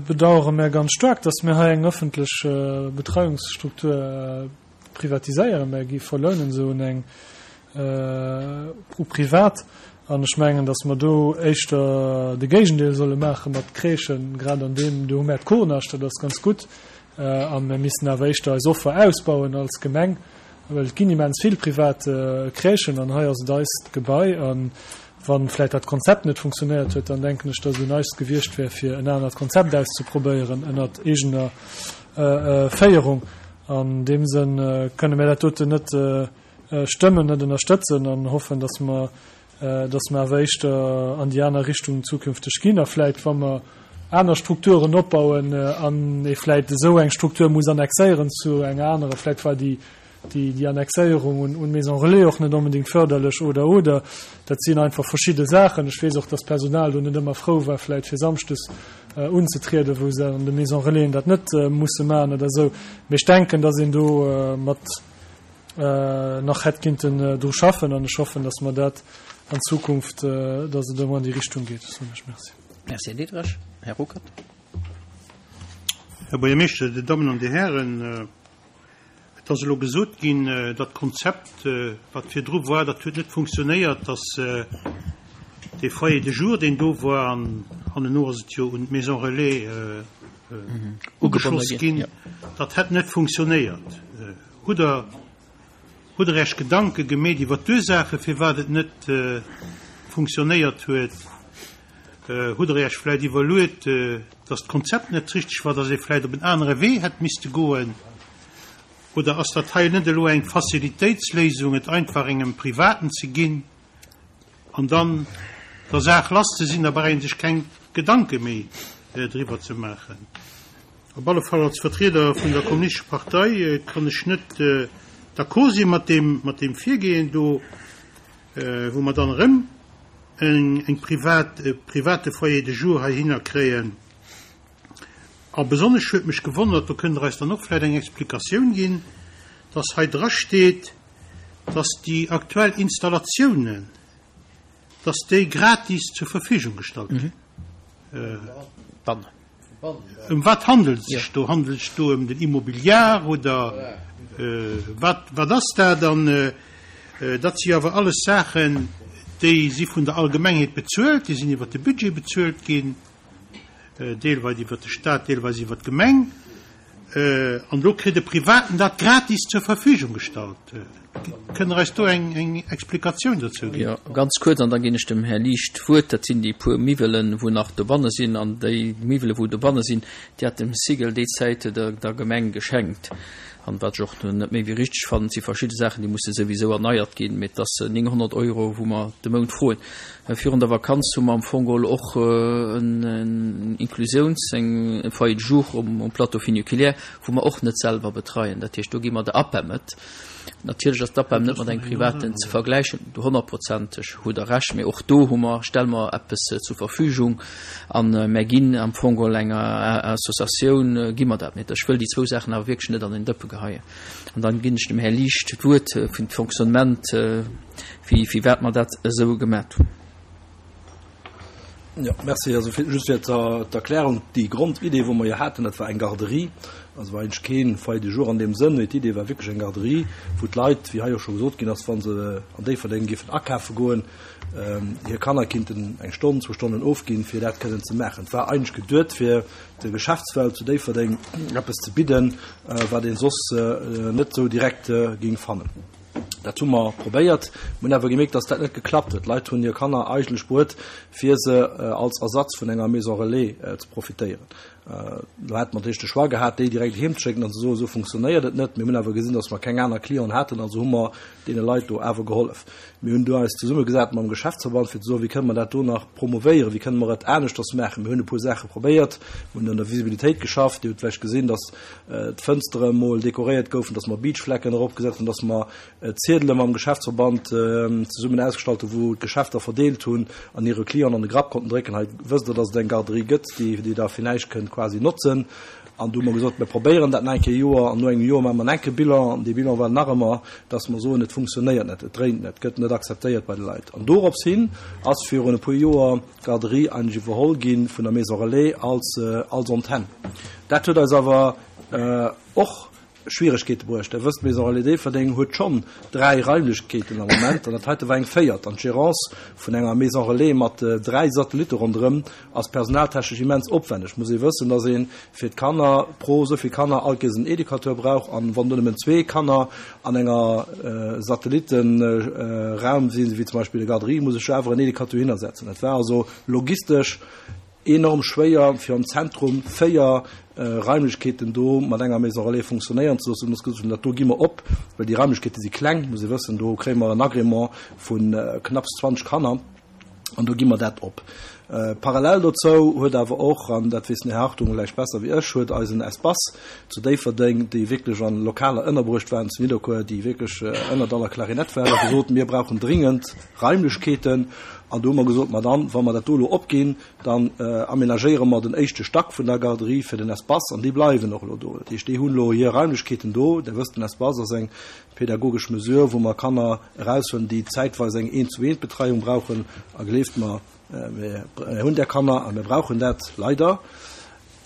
bedauere mär ganz staark, dass mir hei eng ëffentlech Betreiungsstruktur privatiséieren. Mär gi verlounen se un eng u privat. An ech mengen, dass mer do éischter de Géigendeel solle maache mat Crèchen, grad an deem, do hu mär d'Kournascht, dat ass ganz gutt. A mir missten awer éischter eis Offer ausbauen als Gemeng. Well et ginn immens vill privat Crèchen an hei ass et eist Gebai. A wa vläicht dat Konzept net funktionéiert huet, dann denken ech, datt et un eis gewiescht wär, fir en anert Konzept auszeprobéieren ënnert eegener Féierung. An deem Sënn kënne mir dat doten net stëmmen, net ënnerstëtzen an hoffen, datt mer dass mer awer éischter an déi aner Richtung zukünfteg ginn a vläit, wa mer aner Strukturen opbauen an ee vläit esou eng Struktur muss annexéieren zu enger anerer, vläit war déi, déi Annexéierung un, un Maison Relais och net onbedéngt förderlech oder, oder. Dat sinn einfach verschidde Saachen. Ech weess och, dass d'Personal do net ëmmer frou war, vläit fir samschdes unzetrieden, wou se an de Maison Relaisen dat net musse maachen oder esou. Mee ech denken, dass een do mat, nach hätt kinnten dru schaffen an ech hoffen, dass mer dat an Zukunft, dass et ëmmer an déi Richtung geet. Soen ech Merci. Merci, Här Diderich. Här Ruckert. Här Buergermeeschter, Dir Dammen an Dir Hären, et ass elo gesot ginn, dat Konzept, wat virdru war, dat huet net funktionéiert, dass dee Foyer de jour, deen do war, an hannenno ass et jo un d'Maison relais ugeschloss ginn, dat hätt net funktionéiert. Hutt Der, hutt Der Iech Gedanke gemeet iwwer d'Ursaache firwat et net funktionéiert huet? Hutt Der Iech vläicht iwwerluet, dass d'Konzept net richteg war, dass ee vläicht op en anere Wee hätt misste goen? Oder ass dat hei net elo eng Facilitéitsléisung, et einfach engem Privaten ze ginn an dann der Saach lass ze sinn, da brauch ee sech keng Gedanke méi driwwer ze maachen? Op alle Fall als Vertrieder vun der Kommunistescher Partei kann ech net d'accord si mat deem, mat deem Virgehen do, wou mer dann erëm eng, eng privat, e private Foyer de jour heihinner kréien. A besonnesch huet mech gewonnert, do kënnt Der eis dann och vläicht eng Explikatioun ginn, dass hei drasteet, dass déi aktuell Installatiounen, dass déi gratis zur Verfügung gestallt ginn. Ëm wat handelt et sech do? Handelt et sech do ëm den Immobiliar oder wat, wat ass dat? An dat si jo awer alles Saachen, déi si vun der Allgemengheet bezuelt, déi sinn iwwert de Budget bezuelt ginn, deelweis iwwert de Stat, deelweis iwwert d'Gemeng. An elo kritt e Privaten dat gratis zur Verfügung gestallt. Kënnt Der eis do eng Explikatioun dozou ginn? Jo, ganz kuerz, an da ginn ech dem Här Liesch d'Wuert. Dat sinn déi puer Miwwelen, wou nach dobanne sinn. An déi Miwwele wou dobanne sinn, déi hat dem Sigel déi Zäit der Gemeng geschenkt. An wat ech och net méi wéi richteg fannen, et si verschidde Saachen, déi musse souwisou erneiert ginn, mee et ass 900 Euro, wou mer de Mount froen. Virun der Vakanz hu mer am Fong geholl och en Inklusiouns-, eng Foyer de jour um Plateau funiculaire, wou mer och net selwer betreien. Dat heescht, do gi mer der APEM et. Natierlech ass d'APEM net mat engem Privaten ze vergläichen, do honnertprozenteg hutt Der Recht, mee och do hu mer, stelle mer eppes zur Verfügung a mer ginn am Fong geholl enger Associatioun gi mer dat. Mee ech wëll déi zwou Saachen awer wierklech net an een Dëppe geheien. An dann ginn ech dem Här Liesch d'Wuert fir d'Fonctionnement, firwat mer dat esou gemat hunn. Jo, merci. Also fir, just fir d'Erklärung, déi Grondidee, wou mer jo haten, dat war eng Garderie. Also war eigentlech kee Foyer de jour an deem Sënn, mee d'Idee war wierklech eng Garderie, wou d'Leit, wéi hei och scho gesot ginn ass, wa se an Déifferdeng géifen akafe goen, hir Kanner kinnten eng Stonn, zwou Stonnen ofginn, fir dat kënnen ze maachen. Et war eigentlech geduet, fir der Geschäftswelt zu Déifferdeng eppes ze bidden, wat ee soss net esou direkt géing fannen. Dat hu mer probéiert, mir hunn awer gemierkt, dass dat net geklappt huet. D'Leit hunn hir Kanner eigentlech bruet, fir se als Ersatz vun enger Maison relais ze profitéieren. Do hätte mer natierlech de Choix gehat, déi direkt heem ze schécken an ze soen, esou funktionéiert et net. Mir hunn awer gesinn, dass mer keng aner Clienten haten, also hu mer deene Leit do awer gehollef. Mir hunn do eis zesummegesat mam Geschäftsverband, fir ze soen, wéi kënne mer dat do nach promovéieren, wéi kënne mer et aneschters maachen. Mir hunn e puer Saache probéiert, mir hunn un der Visibilitéit geschafft. Dir hutt vläicht gesinn, dass d'Fënstere mol dekoréiert goufen, dass mer Beachflecken eropgesat hunn, dass mer Ziedele mam Geschäftsverband zesummen ausgestallt hunn, wou d'Geschäfter verdeelt hunn an hire Clienten an de Grapp konnten drécken, hei wësst Der, dass et eng Garderie gëtt, déi Dir da fir näischt kënnt quasi notzen. An du hu mer gesot, mir probéieren dat nach eng Kéier e Joer an no engem Joer maache mer en enke Bilan. An dee Bilan war nach ëmmer, dass mer soen, et funktionéiert net, et dréint net, et gëtt net akzeptéiert bei de Leit. An dorops hin ass virun e puer Joer d'Garderie eigentlech iwwerholl gi vun der Maison Relais als als Antenn. Dat huet eis awer och Schwieregkeete bruecht. Der wësst, d'Maison Relais Déifferdeng huet schonn dräi Raimlechkeeten am Moment an dat heite war eng véiert. An d'Gérance vun enger Maison Relais mat dräi Satellitte ronderëm ass personaltechnesch immens opwänneg. Muss ee wëssen, dass ee fir d'Kanner pro esou vill Kanner all Kéiers en Educateur brauch an wann do nëmmen zwee Kanner an enger Satellittenraum sinn, wéi zum Beispill der Garderie, muss ech jo awer en Educateur hinnersetzen. Et war also logistesch enorm schwéier, fir am Zentrum 4 Raimlechkeeten do mat enger Maison relais funktionéieren ze loossen. Muss gesot hunn, dat do gi mer op, well déi Raimlechkeete si kleng, muss ee wëssen, do kréie mer en Agrément vu knapps 20 Kanner an do gi mer dat op. Parallel dozou huet awer och, an dat weess den Här Hartung vläicht besser wéi ech, huet eisen Espace zu Déifferdeng, déi wierklech an Lokaler ënnerbruecht waren zu Nidderkuer, déi wierklech ënnert aller Klarinett waren, gesot, mir brauchen dringend Raimlechkeeten. An do hu mer gesot, ma dann, wa mer dat do elo opginn, dann aménagéiere mer den éischte Stack vun der Garderie fir den Espace an déi bleiwen och elo do. Dat heescht, déi hunn elo hir Raimlechkeeten do. Der wësst, den Espace ass eng pädagogesch Mesure, wou mer Kanner eraushuelen, déi zäitweis eng Eent-zu-eent-Betreiung brauchen. A gleeft mer, mir hunn där Kanner a mir brauchen dat leider.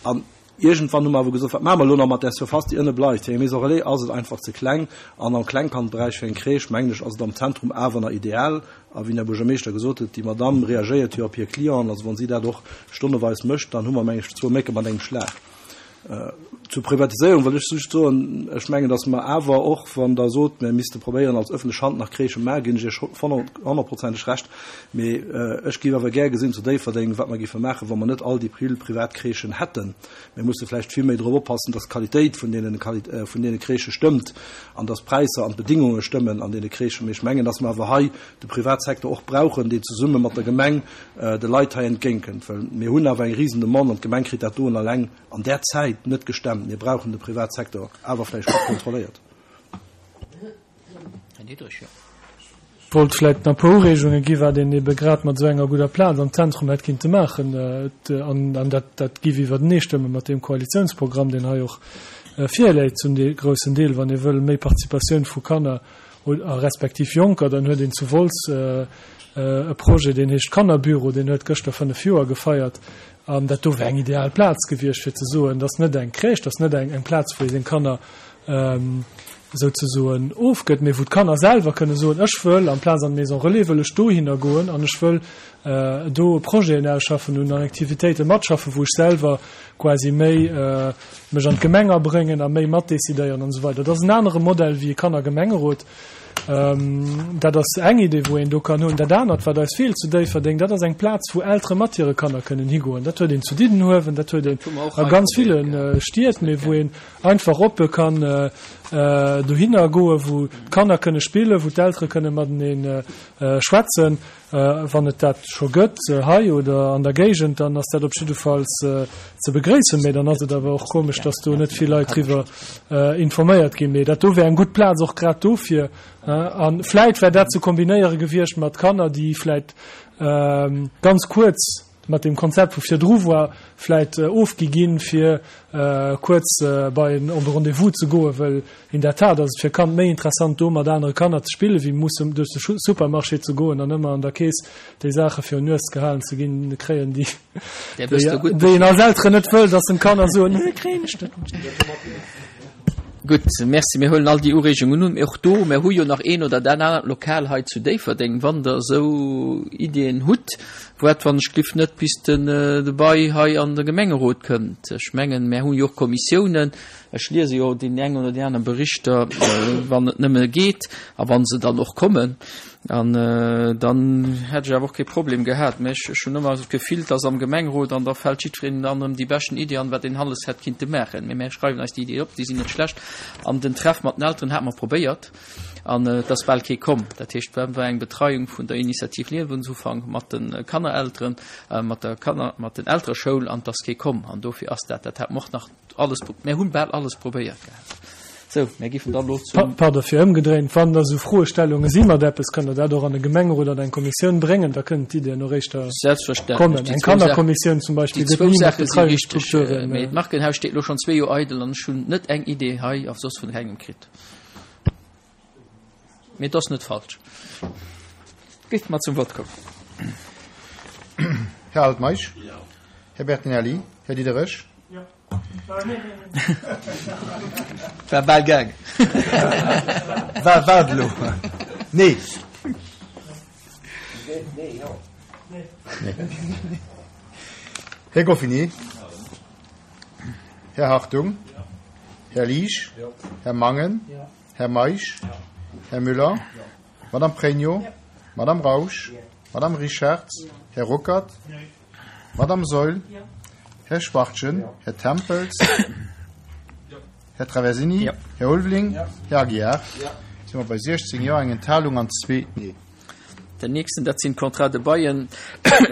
An iergendwann hu mer awer gesot, wat maache mer elo nach mat där Surface, déi ënne bleift? Fir eng Maison relais ass et einfach ze kleng. An am Klengkandberäich fir eng Crèche, mengen ech, ass et am Zentrum awer nach ideal. A wéi den Här Buergermeeschter gesot huet, déi Madamm reagéiert jo op hir Clienten. Also wa si dat och stonneweis mécht, dann hu mer, mengen ech, zwou Mécke mat engem Schlag. Zur Privatiséierung wëll ech just soen, ech mengen, datt mer awer och, wann Der sot, mir misste probéieren als öffentlech Hand nach Crèchë maachen, ginn ech Iech honnertprozenteg Recht. Mee ech géif awer gär gesinn zu Déifferdeng, wat mer géife maachen, wa mer net all déi vill privat Crèchen hätten. Mir musse vläicht vill méi drop oppassen, datt d'Qualitéit vun deene, vun deene Crèchë stëmmt an datt d'Präisser an d'Bedingunge stëmmen an deene Crèchen. Mee ech mengen, datt mer awer hei de Privatsecteur och brauchen, deen zesumme mat der Gemeng de Leit hei entgéintkënnt. Well mir hunn awer eng Risendemande an d'Gemeng kritt dat doen eleng an där Zäit net gestemmt. Mir brauchen de Privatsecteur, awer vläicht gutt kontrolléiert. Här Diderich, jo. Wollt vläicht nach e puer Ureegunge gi wat een ebe grad mat esou enger gudder Plaz am Zentrum hätt kinnte maachen. An dat, dat giff iwwertenee stëmme mat deem Koalitiounsprogramm, deen hei och virläit zum groussen Deel, wann ee wëll méi Participatioun vu Kanner a respektiv Jonker, dann huet een zu Wolz e Projet, deen heescht Kannerbüro, deen huet gëschter 5 Joer gefeiert. An dat do wär eng ideal Plaz gewiescht, fir ze soen, dat ass net eng Crèche, dat ass net eng Plaz, wou ee seng Kanner souzesoen ofgëtt, mee wou d'Kanner selwer kënne soen, ech wëll amplaz an d'Maison relais wëll ech dohinner goen an ech wëll do Projeten ausschaffen un an Aktivitéite matschaffen, wou ech selwer quasi méi mech an d'Gemeng abréngen a méi matdecidéieren an esou weider. Dat ass en anere Modell wéi e Kannergemengerot. Dat ass eng Idee, wou een do kann hunn. Dat anert, wat eis feelt zu Déifferdeng, dat ass eng Plaz, wou Eltere mat hire Kanner kënnen higoen. Dat huet een zu Diddenhuewen, dat huet een a ganz ville Stied, mee wou een einfach oppe kann dohinner goen, wou d'Kanner kënne spillen, wou d'Eltere kënne matenee schwätzen. Wann et dat scho gëtt hei oder an der Géigend, dann ass dat op jiddefalls ze begréissen. Mee dann ass et awer och komesch, dass do net vill Leit driwwer informéiert ginn. Mee dat do wär eng gutt Plaz och grad dofir. A vläit wär dat ze kombinéiere gewiescht mat Kanner, déi vläit ganz kuerz mat deem Konzept, wou virdru war, vläit ofgi ginn, fir kuerz bei en Rendez-vous ze goen, well In der Tat ass et fir e Kand méi interessant do mat anere Kanner ze spillen, wéi mussen duerch de Supermarché ze goen an ëmmer an der Keess déi Saache virun d'Nues gehalen ze ginn kréien, déi déi een als Elteren net wëll, dass en d'Kanner soen, Nee, kréien ech net. Gutt, Merci. Mir huelen all déi Ureegungen un. Mee och do, mir hu jo nach een oder dat anert Lokal hei zu Déifferdeng. Wann Der esou Iddien hutt, waart wann ech gliff net bis den de Bail hei an de Gemengerot kënnt. Ech mengen, mir hu jo och Kommissiounen. Ech liese jo deen eng oder déi aner Berichter, wann et nëmme geet a wa se dann och kommen. An dann hätt ech awer och kee Problem gehat. Mä ech hunn ëmmer esou d'Gefill, dass am Gemengerot an da fält jiddwereen den aneren déi beschten Iddi an, wat een alles hätt kinnte maachen. Mee mär schreiwen eis déi Iddi op, déi sinn net schlecht. An den Treff mat den Elteren hate mer probéiert an et ass bal kee komm. Dat heescht, et war eng Betreiung vun der Initiativ Liewensufank mat de Kannerelteren, mat der Kanner, mat den Eltereschoul an et ass kee komm. An dofir ass dat, dat hat mer och nach Alles, mär hunn bal alles probéiert gehat. Sou, mär giffen dann elo zum. Pardon, fir ëmgedréint, Wann da sou Froestellunge si mat eppes, kënnt Der dat och an e Gemengerot, an eng Kommissioun bréngen, da kënnen d'Iddien och éischter Selbstverständlech. kommen. Eng Kannerkommissioun zum Beispill Déi gëtt zwou ni mat Saache si richteg. Betreiungsstrukturen. Mee d'Markenhaus steet elo schonn zwee Joer eidel an ech hunn net eng Idee hei a soss vun kengem kritt. Mee et ass net falsch. Géift mer zum Vott kommen. Här Altmeisch? Här Bertinelli? Här Diderich? War bal gaang. War wat elo? Nee. Här Goffinet? Här Hartung? Här Liesch? Här Mangen? Här Meisch? Här Müller? Madame Pregno? Madame Rausch? Madame Richartz? Här Ruckert? Madame Saeul? Här Schwachtgen? Här Tempels? Här Traversini? Här Ulveling? Här Aguiar? Si mer bei 16 Jo, eng Enthalung an zwee Nee. Den nächsten, dat sinn d'Contrats de baillen,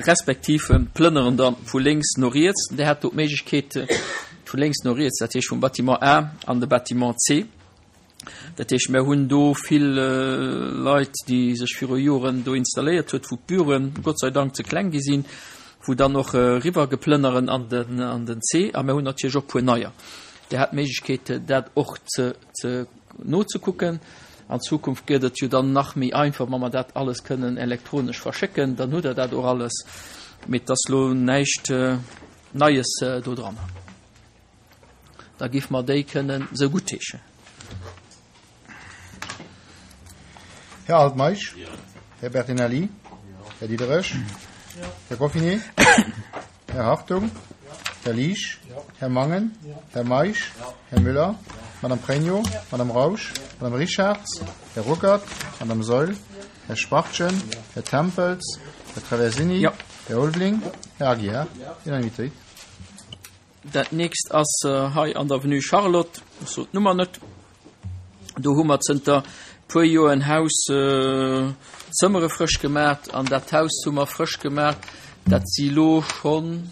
respektiv d'Plënneren da vu lénks no riets. Dir hat do d'Méiglechkeet vu lénks no riets, dat heescht vum Bâtiment A an de Bâtiment C. Dat heescht, mir hunn do vill Leit, déi sech viru Joren do installéiert huet, wou d'Büroen Gott sei Dank ze kleng gi sinn, wou dann och eriwwer geplënneren an den, an den C. A mir hunn natierlech och e puer neier. Dir hat d'Méiglechkeet, dat och ze, ze nozekucken. An Zukunft gëtt et jo dann nach méi einfach, wa mer dat alles kënnen elektronesch verschécken, dann hutt Der dat och alles. Mee et ass elo näischt Neies do dran. Da géife mer déi kënnen esou guttheeschen. Här Altmeisch? Här Bertinelli? Här Diderich? Här Goffinet? Här Hartung? Här Liesch? Här Mangen. Här Meisch. Här Müller. Madame Pregno. Madame Rausch. Madame Richarz. Här Ruckert. Madame Saeul. Här Schwachtgen. Här Tempels. Här Traversini. Här Ulveling. Här Aguiar. Unanimitéit. Dat nächst ass hei an der Avenue Charlotte, ech sot d'Nummer net. Do hu mer zënter puer Joer en Haus, Zëmmere frësch gemaacht an dat Haus hu mer frësch gemaacht, dat si lo schonn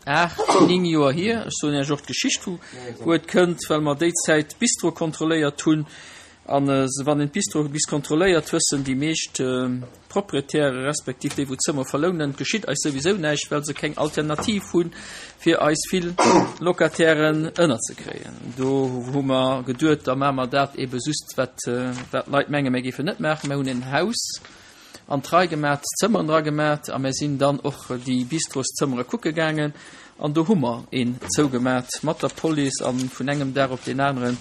8, 9 Joer hier. Ech soen Iech och d'Geschicht vu wou et kënnt, well mer déi Zäit d'Bistro kontrolléiert hunn An wann een d'Bistro bis kontrolléiert, wëssen déi meescht Proprietäre respektiv déi wou d'Zëmmer verlounen, et geschitt eis souwisou näischt, well se keng Alternativ hunn, fir eis vill Locatairen ënnerzekréien. Do hu mer geduet, da maache mer dat ebe just, wat d'Leit menge mir géifen net maachen. Mir hunn en Haus an d'Rei gemat, d'Zëmmeren dra gemat a mir sinn dann och déi Bistroszëmmere kucke gaangen an do hu mer een zougemat mat der Police a vun engem Dag op deen aneren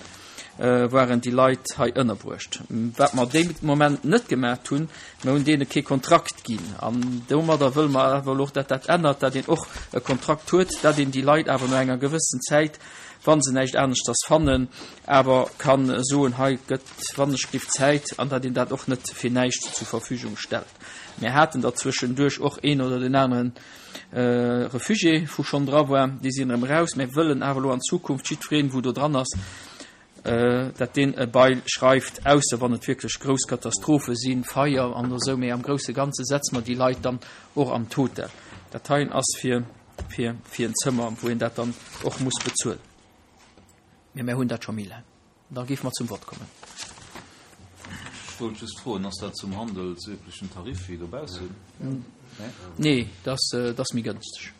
waren déi Leit hei ënnerbruecht. Wat mer dee Moment net gemat hunn, mer hunn deene kee Kontrakt ginn an domadder wëlle mer awer elo och, dat dat ännert, dat een och e Kontrakt huet, dat een déi Leit awer no enger gewëssen Zäit, wa se näischt aneschters fannen, awer ka soen, hei gëtt wannechgelift Zäit an datt een dat och net fir näischt zur Verfügung stellt. Mir haten der zwëschenduerch och een oder deen aneren Refugié wou schonn dra war, déi sinn erëm eraus. Mir wëllen awer elo an Zukunft jiddwereen, wou do dran ass, datt deen e Bail schreift, ausser wann et wierklech grouss Katastrophe sinn, Feier an esou, mee am grousse Ganze setze mer déi Leit dann och an d'Hotel. Dat heien ass fir, fir, fir en Zëmmer, wou een dat dann och muss bezuelen. Mee mir hunn dat scho méi laang. Da géife mer zum Vott kommen. Ech wollt just froen, Ass dat zum handelsüblechen Tarif wéi dobaussen? Nee, dat ass méi gënsteg.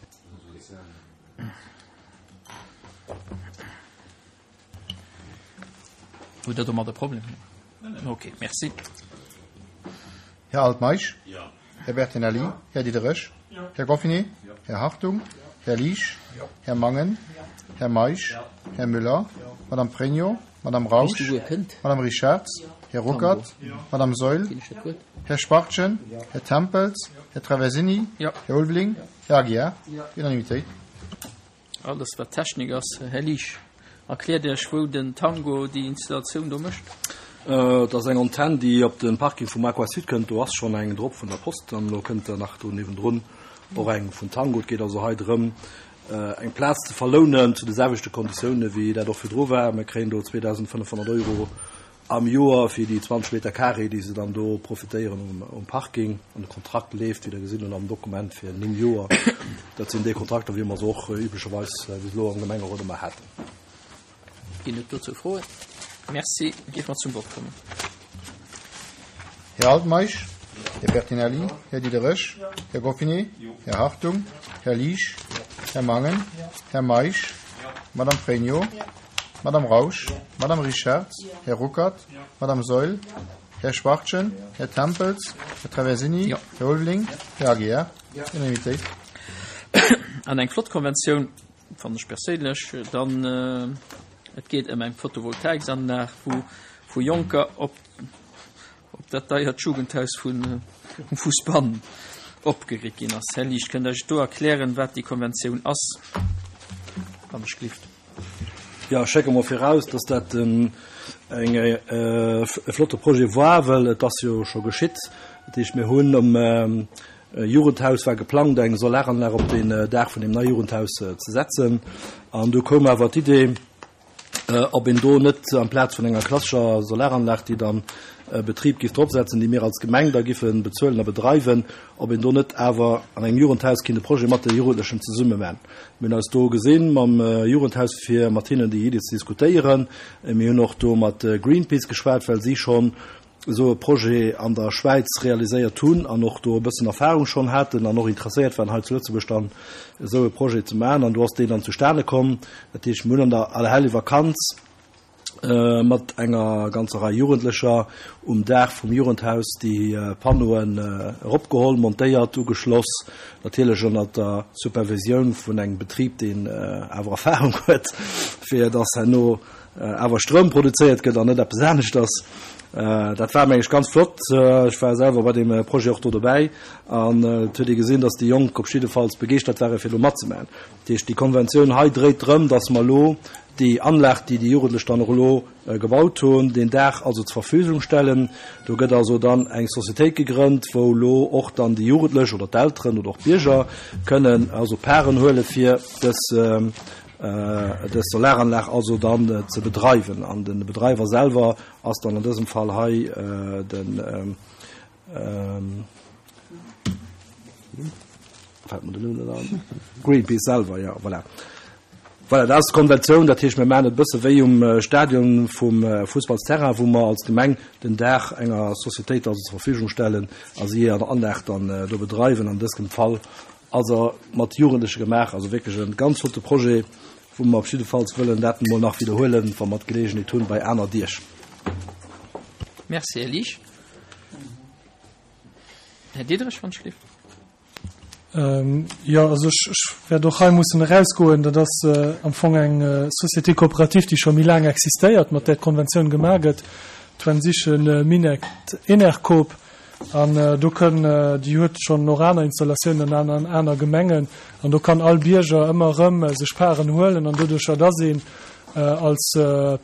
Hutt Der domat e Problem? Okay, merci. Här Altmeisch? Här Bertinelli? Här Diderich? Här Goffinet? Här Hartung? Här Liesch? Här Mangen? Här Meisch? Här Müller? Madame Pregno? Madame Rausch? Madame Richarz? Här Ruckert? Madame Saeul? Här Schwachtgen? Här Tempels? Här Traversini? Här Ulveling? Här Aguiar? Unanimitéit. Alles wat Technik ass. Här Liesch, erkläert Iech wou den Tango déi Installatioun do mécht? Et ass eng Antenn déi op de Parking vum Aqua Sud kënnt. Do ass schonn eng drop vun der Post an elo kënnt der nach do niewendrun och eng vun Tango. Et geet also hei drëm eng Plaz ze verlounen zu de selwechte Konditioune wéi dat och virdru war. Mir kréien do 2.500 Euro Am Joer fir déi 20 Meter carré, déi se dann do profitéieren um Parking. An de Kontrakt leeft, wéi Der gesinn hutt am Dokument, fir 9 Joer. Dat sinn déi Kontrakter, wéi mer se och üblecherweis bis elo am Gemengerot ëmmer haten. Ginn et dozou Froen? Merci. Géife mer zum Vott kommen. Här Altmeisch, Här Bertinelli, Här Diderich, Här Goffinet, Här Hartung, Här Liesch, Här Mangen, Här Meisch, Madame Pregno, Madame Rausch, Madame Richarz, Här Ruckert, Madame Saeul, Här Schwachtgen, Här Tempels, Här Traversini, Här Ulveling, Här Aguiar. Unanimitéit. An eng flott Konventioun, fannen ech perséinlech. Dann, et geet ëm eng Photovoltaiksanlag, wou vu Jonker op op dat deiert Jugendhaus vun um Fussbann opgeritt ginn ass. Här Liesch, kënnt Der eis do erklären, wat déi Konventioun ass, wann ech glift? Jo, ech schécke mol viraus, dass dat en eng e flotte Projet war, well et ass jo scho geschitt. Dat heescht, mir hunn um Jugendhaus war geplangt, eng Solaranlag op den Daach vun deem neie Jugendhaus ze setzen. An du koum awer d'Idee, ob een do net amplaz vun enger klassescher Solaranlag, déi dann e Betrib giff dropsetzen, déi mir als Gemeng da giffe bezuelen a bedreiwen, ob een do net awer an engem Jugendhaus kinnt e Projet mat de Jugendlechen zesumme man. Mir hunn eis do gesinn mam Jugendhaus, fir mat hinnen déi Iddi ze diskutéieren. Mir hunn och do mat Greenpeace geschwat, well si schonn esou e Projet an der Schwäiz realiséiert hunn an och do e bëssen Erfahrung schonn haten an och interesséiert waren, hei zu Lëtzebuerg dann esou e Projet ze maachen. An do ass deen dann zustane komm. Dat heescht, mir hunn an der Allerhellevakanz mat enger ganzer Rei Jugendlecher um Daach vum Jugendhaus déi Panneauen eropgeholl, montéiert, ugeschloss, natierlech ënnert der Supervisioun vun engem Betrib, deen awer Erfahrung huet, fir dass herno. awer Stroum produzéiert gëtt an net eppes aneschters. Dat war, meng ech, ganz flott. Ech war selwer bei deem Projet och do dobäi an et huet ee gesinn, dass déi Jonk op jiddefalls begeeschtert ware fir do matzemaachen. Dat heescht, déi Konventioun hei dréit drëm, dass mer elo déi Anlag, déi déi Jugendlech dann och elo gebaut hunn, deen Dag also zur Verfügung stellen. Do gëtt also dann eng Societéit gegrënnt, wou elo och dann déi Jugendlech oder d'Elteren oder och d'Bierger kënnen also Paren huele fir dës dës Solaranlag also dann ze bedreiwen. An de Bedreiwer selwer ass dann an dësem Fall hei den, fält mer den Numm net an, Greenpeace selwer, jo, voilà. Voilà, dat ass d'Konventioun. Dat heescht, mir maachen et e bësse wéi um Stadion vum Fussballsterrain, wou mer als Gemeng den Daach enger Societéit also zur Verfügung stellen a si hir Anlag dann do bedreiwen. An dësem Fall Also mat Jugendleche gemaach, also wierklech e ganz flotte Projet, wou mer op jiddefalls wëllen dat emol nach widderhuelen, wa mer d'Geleegenheet hunn, bei aner Deeg. Merci, Här Liesch. Här Diderich, wann ech lift. Jo, also ech, ech wäert och hei mussen erausgoen. Dat ass am Fong eng Société coopérative, déi scho méi laang existéiert, mat där d'Konventioun gemaach gëtt, d'Wensichen Minett Enercoop. An do kënn, déi huet schonn och aner Installatiounen an an aner Gemengen, an do kann all Bierger ëmmer erëm sech Paren huelen. An doduercher, dass een als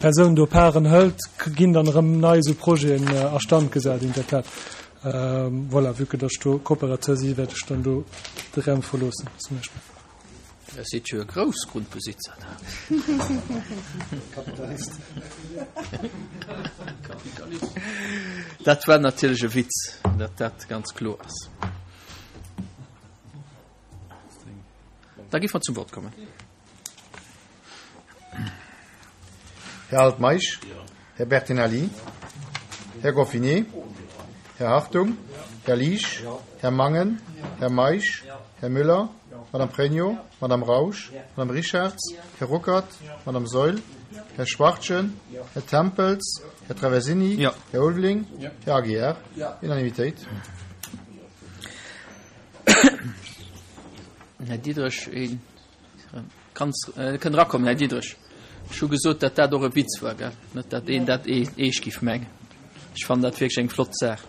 Persoun do Paren hëlt, ginn dann erëm nei esou Projeten a Stand gesat, interklat. Voilà, vue que dass ech do Coopérateur si, wäert ech dann do de Raum verloossen zum Beispill. Der seet jo e Groussgrundbesitzer da. Kapitalist. Kapitalist. Dat war natierlech e Witz, datt dat ganz kloer ass. Da gi mer zum Wort kommen. Här Altmeisch, Här Bertinelli, Här Goffinet, Här Hartung, Här Liesch, Här Mangen, Här Meisch, Här Müller, Madame Pregno, Madame Rausch, Madame Richarz, Här Ruckert, Madame Saeul, Här Schwachtgen, Här Tempels, Här Traversini, Här Ulveling, Här Aguiar. Unanimitéit. Här Diderich, een Kanns, kënnt erakommen, Här Diderich. Ech hu gesot, datt dat och e Witz war, gell? Net datt een dat eescht giff mengen. Ech fannen dat wierklech eng flott Saach.